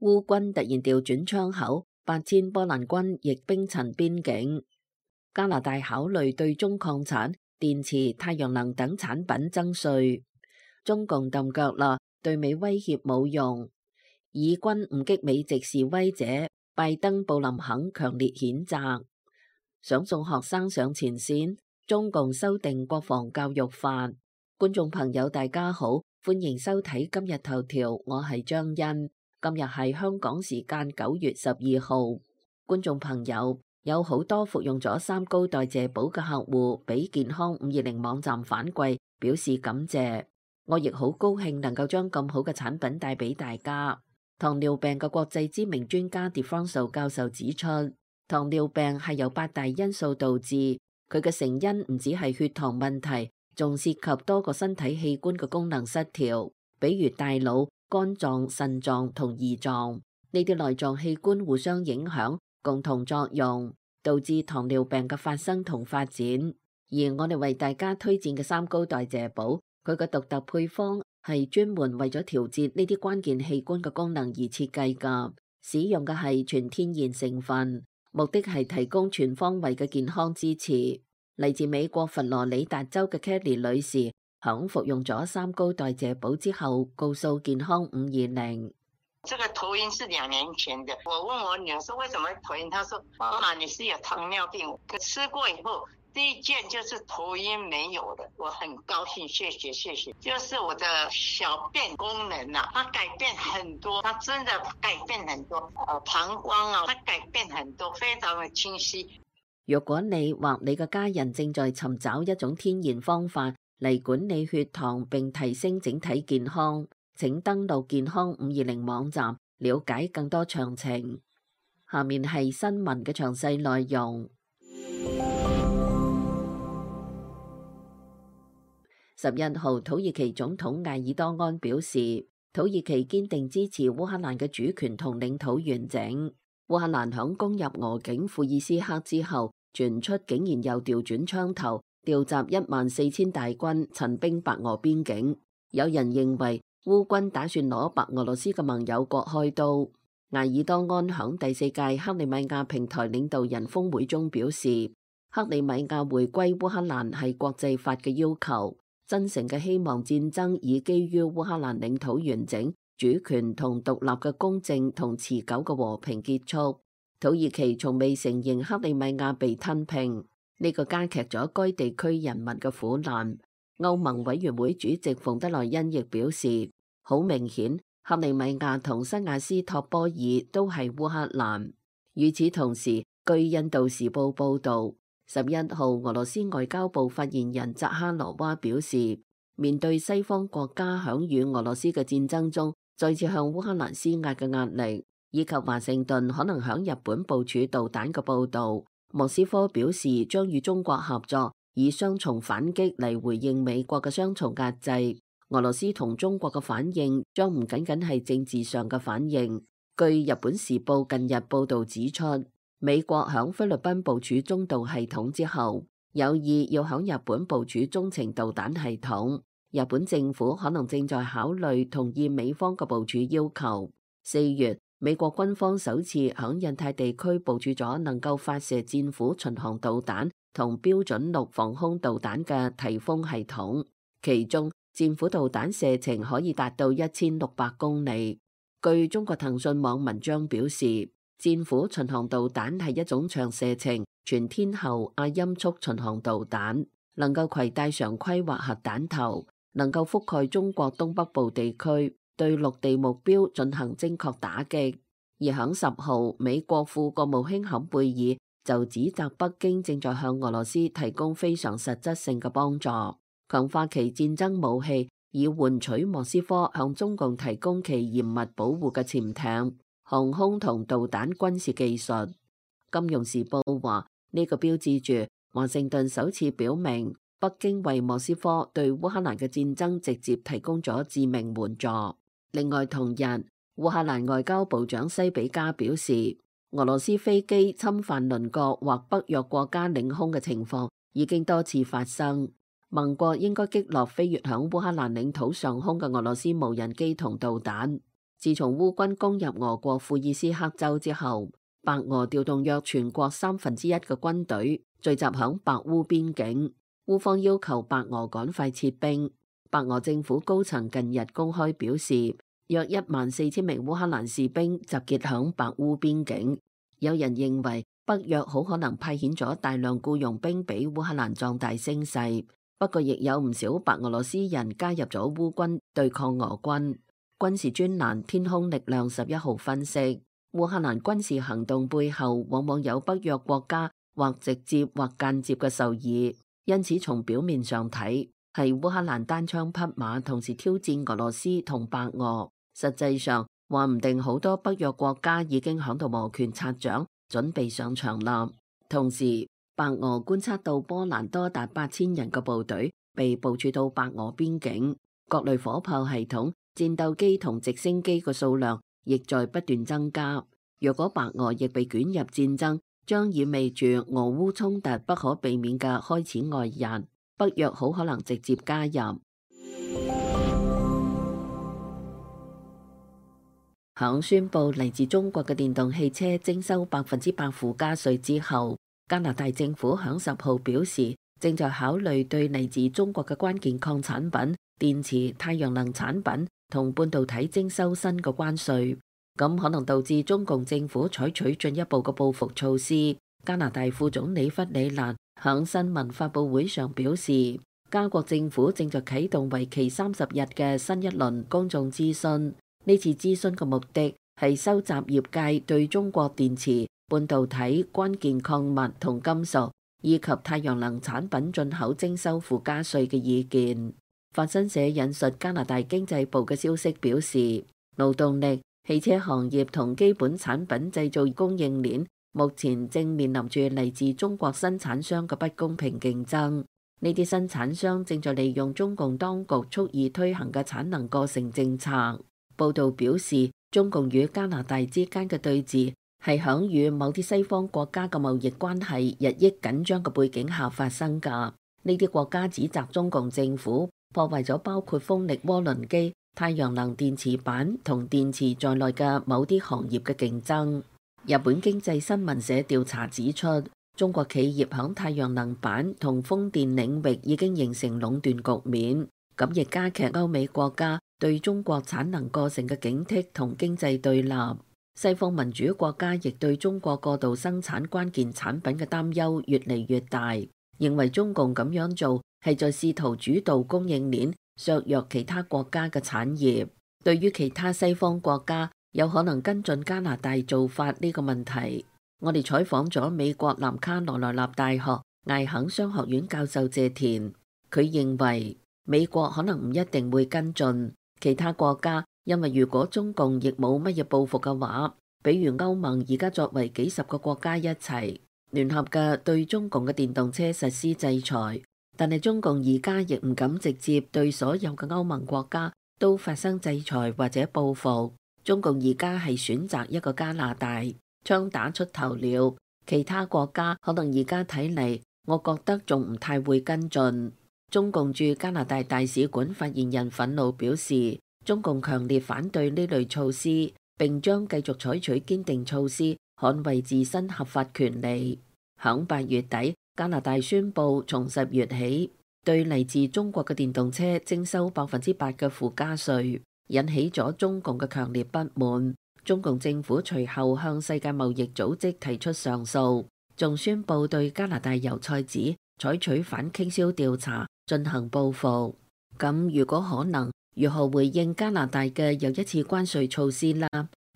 烏軍突然調轉槍口，8000波蘭軍亦兵陳邊境。加拿大考慮對中礦產、電池、太陽能等產品徵稅。中共揼腳啦，對美威脅冇用。以軍誤擊美籍示威者，拜登布林肯強烈譴責。想送學生上前線，中共修訂國防教育法。觀眾朋友大家好，歡迎收睇今日頭條，我係張欣。今日係香港時間9月12號。觀眾朋友，有好多服用咗三高代謝寶嘅客戶，俾健康520網站反饋表示感謝。我亦好高興能夠將咁好嘅產品帶俾大家。糖尿病嘅國際知名專家 DeFranco 教授指出，糖尿病係由8大因素導致，佢嘅成因唔止係血糖問題，仲涉及多個身體器官嘅功能失調，比如大腦、肝臟、腎臟同胰臟，呢啲內臟器官互相影響，共同作用，導致糖尿病嘅發生同發展。而我哋為大家推薦嘅三高代謝寶，佢嘅獨特配方係專門為咗調節呢啲關鍵器官嘅功能而設計㗎，使用嘅係全天然成分，目的係提供全方位嘅健康支持。嚟自美國佛羅里達州嘅 Kelly 女士，響服用咗三高代謝寶之後，告訴健康520。這個頭暈是2年前的，我問我女兒說為什麼頭暈，她說媽媽你是有糖尿病，可吃過以後第一件就是頭暈沒有的，我很高興，謝謝，就是我的小便功能啊，它改變很多，它真的改變很多，膀胱啊，它改變很多，非常的清晰。若果你或你嘅家人正在尋找一種天然方法嚟管理血糖並提升整體健康，請登錄健康520網站了解更多詳情。下面係新聞嘅詳細內容。11號，土耳其總統埃爾多安表示，土耳其堅定支持烏克蘭嘅主權同領土完整。烏克蘭響攻入俄境庫爾斯克之後，傳出竟然又調轉槍頭，調集14000大軍陳兵白俄邊境。有人認為烏軍打算攞白俄羅斯嘅盟友國開刀。埃爾多安響第4屆克里米亞平台領導人峰會中表示，克里米亞回歸烏克蘭係國際法嘅要求，真誠嘅希望戰爭以基於烏克蘭領土完整、主權同獨立嘅公正同持久嘅和平結束。土耳其從未承認克里米亞被吞併，呢個加劇咗該地區人民嘅苦難。歐盟委員會主席馮德萊恩亦表示，好明顯，克里米亞同西亞斯托波爾都係烏克蘭。與此同時，據印度時報報道，11號俄羅斯外交部發言人扎哈羅娃表示，面對西方國家響與俄羅斯嘅戰爭中再次向烏克蘭施壓嘅壓力，以及華盛頓可能響日本部署導彈嘅報道，莫斯科表示將與中國合作，以雙重反擊嚟回應美國嘅雙重壓制。俄羅斯同中國嘅反應將唔僅僅係政治上嘅反應。據日本時報近日報道指出，美國響菲律賓部署中導系統之後，有意要響日本部署中程導彈系統。日本政府可能正在考慮同意美方嘅部署要求。4月，美國軍方首次響印太地區部署咗能夠發射戰斧巡航導彈同標準6防空導彈嘅提豐系統，其中戰斧導彈射程可以達到1600公里。據中國騰訊網文章表示，戰斧巡航導彈係一種長射程全天候亞音速巡航導彈，能夠攜帶常規或核彈頭，能夠覆蓋中國東北部地區，對陸地目標進行精確打擊。而響10號，美國副國務卿坎貝爾就指責北京正在向俄羅斯提供非常實質性嘅幫助，強化其戰爭武器，以換取莫斯科向中共提供其嚴密保護嘅潛艇、航空同導彈軍事技術。金融時報話，呢個標誌住華盛頓首次表明，北京為莫斯科對烏克蘭嘅戰爭直接提供咗致命援助。另外同日，烏克蘭外交部長西比加表示，俄羅斯飛機侵犯鄰國或北約國家領空嘅情況已經多次發生，盟國應該擊落飛越響烏克蘭領土上空嘅俄羅斯無人機同導彈。自從烏軍攻入俄國庫爾斯克州之後，白俄調動約全國1/3嘅軍隊聚集響白烏邊境。烏方要求白俄趕快撤兵。白俄政府高層近日公開表示，約14000名烏克蘭士兵集結響白烏邊境。有人認為北約好可能派遣咗大量僱傭兵俾烏克蘭壯大聲勢，不過亦有唔少白俄羅斯人加入咗烏軍對抗俄軍。軍事專欄天空力量11號分析，烏克蘭軍事行動背後往往有北約國家或直接或間接嘅受益，因此從表面上睇係烏克蘭單槍匹馬同時挑戰俄羅斯同白俄，實際上話唔定好多北約國家已經響度摩拳擦掌，準備上場啦。同時，白俄觀察到波蘭多達8000人嘅部隊被部署到白俄邊境，各類火炮系統、戰鬥機同直升機嘅數量亦在不斷增加。若果白俄亦被捲入戰爭，將意味住俄烏衝突不可避免嘅開始外溢，北約好可能直接加入。響宣布嚟自中國嘅電動汽車徵收100%附加稅之後，加拿大政府響10號表示，正在考慮對嚟自中國嘅關鍵礦產品、電池、太陽能產品同半導體徵收新嘅關稅，咁可能導致中共政府採取進一步嘅報復措施。加拿大副總理弗里蘭響新聞發佈會上表示，加國政府正在啟動為期30日嘅新一輪公眾諮詢。呢次諮詢嘅目的係收集業界對中國電池、半導體、關鍵礦物同金屬以及太陽能產品進口徵收附加稅嘅意見。法新社引述加拿大經濟部嘅消息表示，勞動力、汽車行業同基本產品製造供應鏈目前正面臨住嚟自中國生產商嘅不公平競爭。呢啲生產商正在利用中共當局蓄意推行嘅產能過剩政策。報道表示，中共與加拿大之間嘅對峙係響與某啲西方國家嘅貿易關係日益緊張嘅背景下發生㗎。呢啲國家指責中共政府破壞咗包括風力渦輪機、太陽能電池板同電池在內嘅某啲行業嘅競爭。日本經濟新聞社調查指出，中國企業響太陽能板同風電領域已經形成壟斷局面，咁亦加劇歐美國家對中國產能過剩嘅警惕同經濟對立。西方民主國家亦對中國過度生產關鍵產品嘅擔憂越嚟越大，認為中共咁樣做係在試圖主導供應鏈，削弱其他國家嘅產業。對於其他西方國家有可能跟進加拿大做法呢個問題，我哋採訪咗美國南卡羅來納大學艾肯商學院教授謝田，佢認為美國可能唔一定會跟進。其他國家，因為如果中共亦冇乜嘢報復嘅話，比如歐盟而家作為幾十個國家一齊聯合嘅對中共嘅電動車實施制裁，但係中共而家亦唔敢直接對所有嘅歐盟國家都發生制裁或者報復。中共而家係選擇一個加拿大，槍打出頭鳥。其他國家可能而家睇嚟，我覺得仲唔太會跟進。中共駐加拿大大使館發言人憤怒表示，中共強烈反對呢類措施，並將繼續採取堅定措施捍衛自身合法權利。響8月底，加拿大宣布從10月起對嚟自中國嘅電動車徵收8%嘅附加稅，引起咗中共嘅強烈不滿。中共政府隨後向世界貿易組織提出上訴，仲宣布對加拿大油菜籽採取反傾銷調查，進行報復。咁如果可能，如何回應加拿大嘅又一次關稅措施啦？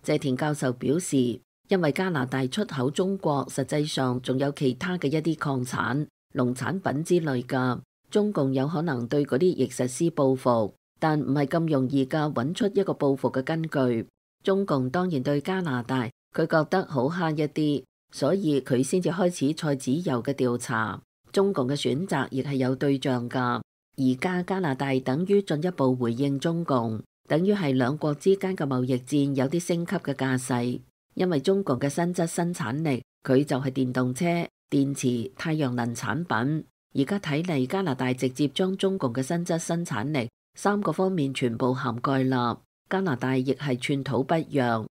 謝田教授表示，因為加拿大出口中國實際上仲有其他嘅一啲礦產、農產品之類㗎，中共有可能對嗰啲亦實施報復，但唔係咁容易㗎揾出一個報復嘅根據。中共當然對加拿大佢覺得好慳一啲，所以佢先至開始菜籽油嘅調查。中共嘅選擇亦係有對象㗎。而家加拿大等於進一步回應中共，等於係兩國之間嘅貿易戰有啲升級嘅架勢。因為中國嘅實質生產力，佢就係電動車、電池、太陽能產品。而家睇嚟，加拿大直接將中共嘅實質生產力3個方面全部涵蓋啦。加拿大亦係寸土不讓。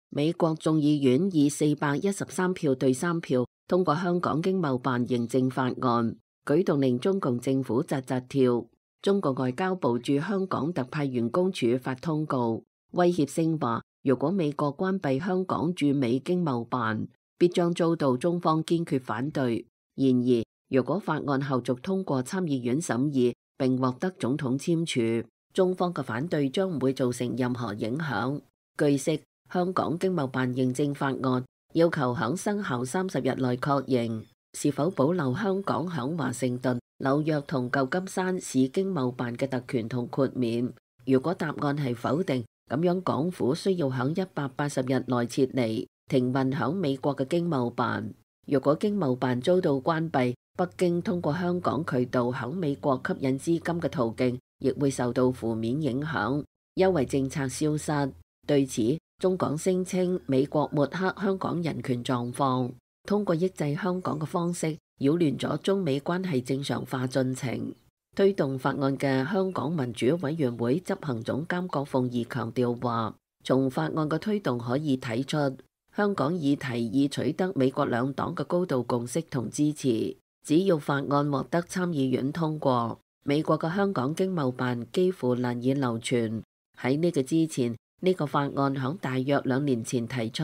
美國眾議院以413票對3票通過香港經貿辦認證法案，舉動令中共政府扎扎跳。中國外交部駐香港特派員公署發通告，威脅性話，如果美國關閉香港駐美經貿辦，必將遭到中方堅決反對。然而，如果法案後續通過參議院審議並獲得總統簽署，中方嘅反對將唔會造成任何影響。據悉，香港經貿辦認證法案要求響生效30日內確認是否保留香港響華盛頓、紐約同舊金山市經貿辦嘅特權同豁免。如果答案係否定，咁樣港府需要響180日內撤離停運響美國嘅經貿辦。如果經貿辦遭到關閉，北京通過香港渠道響美國吸引資金嘅途徑亦會受到負面影響，優惠政策消失。對此，中港聲稱美國抹黑香港人權狀況，通過抑制香港嘅方式擾亂咗中美關係正常化進程。推動法案嘅香港民主委員會執行總監郭鳳儀強調話，從法案嘅推動可以睇出，香港議題已取得美國兩黨嘅高度共識同支持。只要法案獲得參議院通過，美國嘅香港經貿辦幾乎難以流傳。喺呢個之前，呢個法案響大約2年前提出。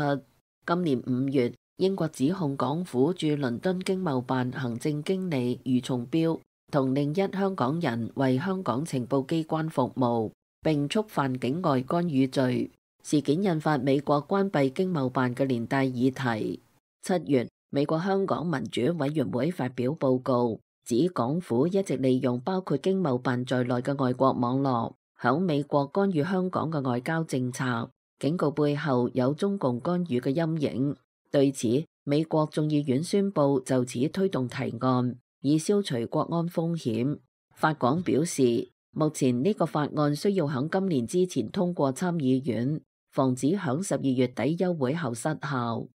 今年5月，英國指控港府駐倫敦經貿辦行政經理余松標同另一香港人為香港情報機關服務，並觸犯境外干預罪。事件引發美國關閉經貿辦嘅連帶議題。7月，美國香港民主委員會發表報告，指港府一直利用包括經貿辦在內嘅外國網絡，響美國干預香港嘅外交政策，警告背後有中共干預嘅陰影。對此，美國眾議院宣布就此推動提案，以消除國安風險。法廣表示，目前呢個法案需要響今年之前通過參議院，防止響12月底休會後失效。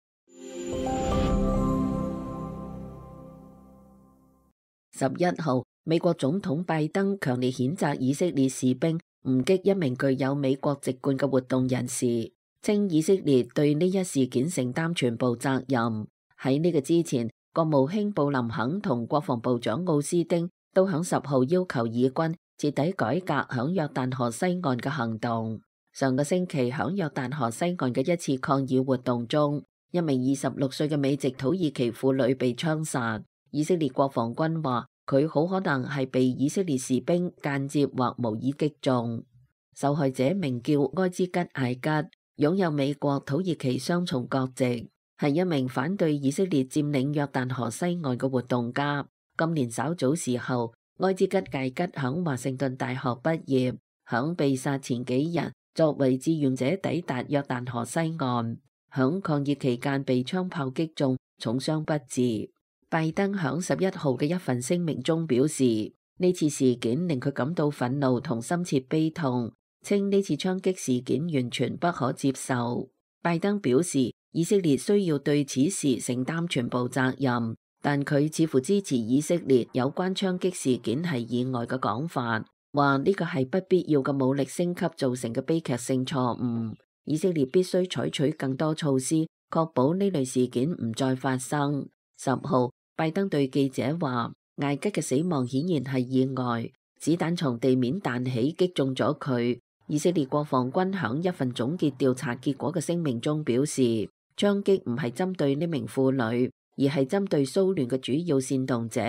11號，美國總統拜登強烈譴責以色列士兵誤擊一名具有美國籍貫嘅活動人士，稱以色列對呢一事件承擔全部責任。喺呢個之前，國務卿布林肯同國防部長奧斯丁都響10號要求以軍徹底改革響約旦河西岸嘅行動。上個星期響約旦河西岸嘅一次抗議活動中，一名26歲嘅美籍土耳其婦女被槍殺。以色列國防軍話佢好可能係被以色列士兵間接或無意擊中。受害者名叫埃茲吉艾吉，擁有美國土耳其雙重國籍，係一名反對以色列佔領約旦河西岸嘅活動家。今年稍早時候，埃茲吉艾吉響華盛頓大學畢業，響被殺前幾日作為志願者抵達約旦河西岸，響抗議期間被槍炮擊中，重傷不治。拜登響11號嘅一份聲明中表示，呢次事件令佢感到憤怒同深切悲痛，稱呢次槍擊事件完全不可接受。拜登表示，以色列需要對此事承擔全部責任，但佢似乎支持以色列有關槍擊事件係意外嘅講法，話呢個係不必要嘅武力升級造成嘅悲劇性錯誤。以色列必須採取更多措施，確保呢類事件唔再發生。10號，拜登對記者話，艾吉嘅死亡顯然係意外，子彈從地面彈起擊中咗佢。以色列國防軍響一份總結調查結果嘅聲明中表示，槍擊唔係針對呢名婦女，而係針對騷亂嘅主要煽動者。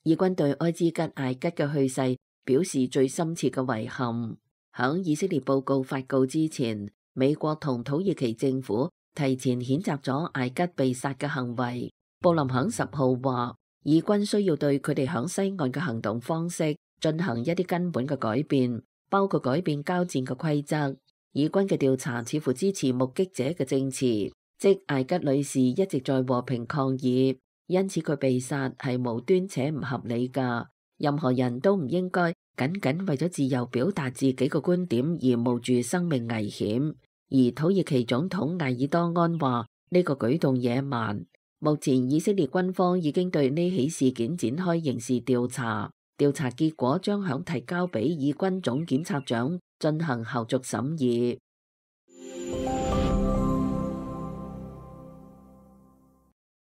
以軍對埃茲吉艾吉嘅去世表示最深切嘅遺憾。響以色列報告發告之前，美國同土耳其政府提前譴責咗艾吉被殺嘅行為。布林肯10號話，以軍需要對佢哋響西岸嘅行動方式進行一啲根本嘅改變，包括改變交戰嘅規則。以軍嘅調查似乎支持目擊者嘅證詞，即艾吉女士一直在和平抗議，因此佢被殺係無端且唔合理㗎。任何人都唔應該僅僅為咗自由表達自己嘅觀點而冒住生命危險。而土耳其總統艾爾多安話呢個舉動野蠻。目前以色列軍方已經對呢起事件展開刑事調查，調查結果將響提交俾以軍總檢察長進行後續審議。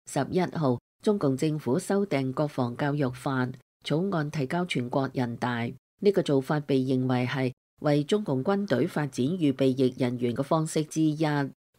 11號，中共政府修訂國防教育法草案提交全國人大，呢個做法被認為係為中共軍隊發展預備役人員嘅方式之一。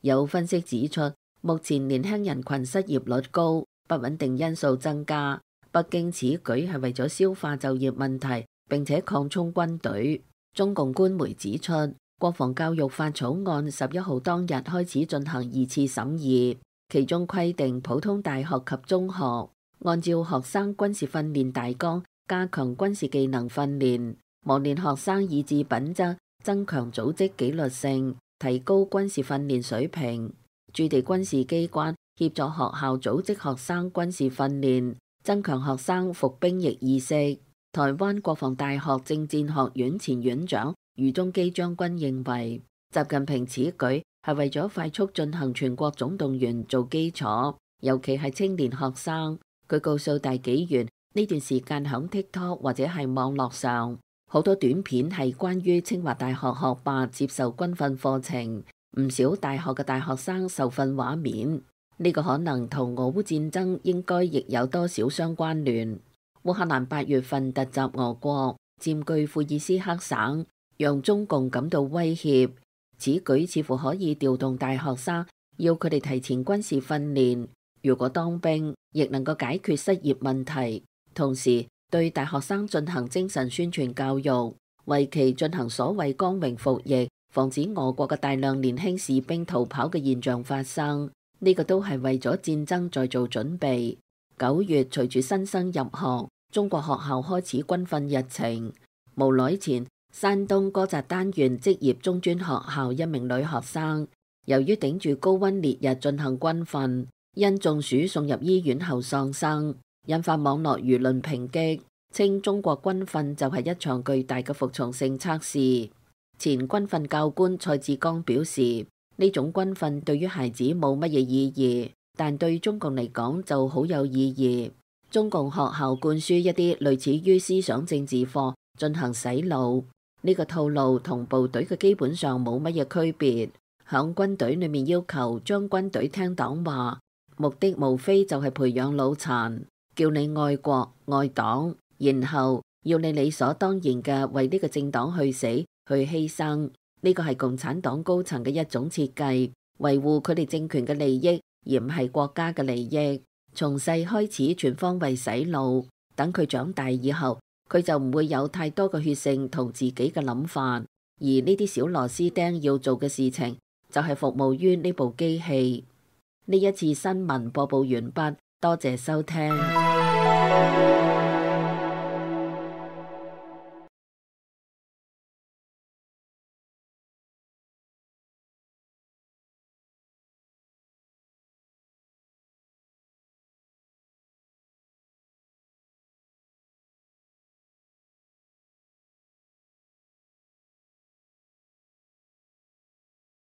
有分析指出，目前年輕人群失業率高，不穩定因素增加，北京此舉係為咗消化就業問題並且擴充軍隊。中共官媒指出，國防教育法草案11號當日開始進行2次審議，其中規定普通大學及中學按照學生軍事訓練大綱加強軍事技能訓練，磨練學生意志品質，增強組織紀律性，提高軍事訓練水平。駐地軍事機關協助學校組織學生軍事訓練，增強學生服兵役意識。台灣國防大學政戰學院前院長余宗基將軍認為，習近平此舉係為咗快速進行全國總動員做基礎，尤其係青年學生。佢告訴大紀元，呢段時間響 TikTok 或者係網絡上，好多短片係關於清華大學學霸接受軍訓課程，唔少大學嘅大學生受訓畫面。呢個可能同俄烏戰爭應該亦有多少相關聯。烏克蘭8月份突襲俄國，佔據庫爾斯克省，讓中共感到威脅。此舉似乎可以調動大學生，要佢哋提前軍事訓練。如果當兵，亦能夠解決失業問題。同時對大學生進行精神宣傳教育，為其進行所謂光榮服役，防止俄國嘅大量年輕士兵逃跑嘅現象發生。呢個都係為咗戰爭在做準備。9月隨住新生入學，中國學校開始軍訓日程。無耐前，山東哥札丹縣職業中專學校一名女學生，由於頂住高溫烈日進行軍訓，因中暑送入醫院後喪生，引發網絡輿論抨擊，稱中國軍訓就係一場巨大嘅服從性測試。前軍訓教官蔡志剛表示，呢種軍訓對於孩子冇乜嘢意義，但對中共嚟講就好有意義。中共學校灌輸一啲類似於思想政治課，進行洗腦。呢個套路同部隊嘅基本上冇乜嘢區別。響軍隊裏面要求將軍隊聽黨話，目的無非就係培養腦殘，叫你愛國愛黨，然後要你理所當然嘅為呢個政黨去死去犧牲。呢個係共產黨高層嘅一種設計，維護佢哋政權嘅利益，而唔係國家嘅利益。從細開始全方位洗腦，等佢長大以後，佢就唔會有太多嘅血性同自己嘅諗法。而呢啲小螺絲釘要做嘅事情，就係服務於呢部機器。呢一次新聞播報完畢，多謝收聽。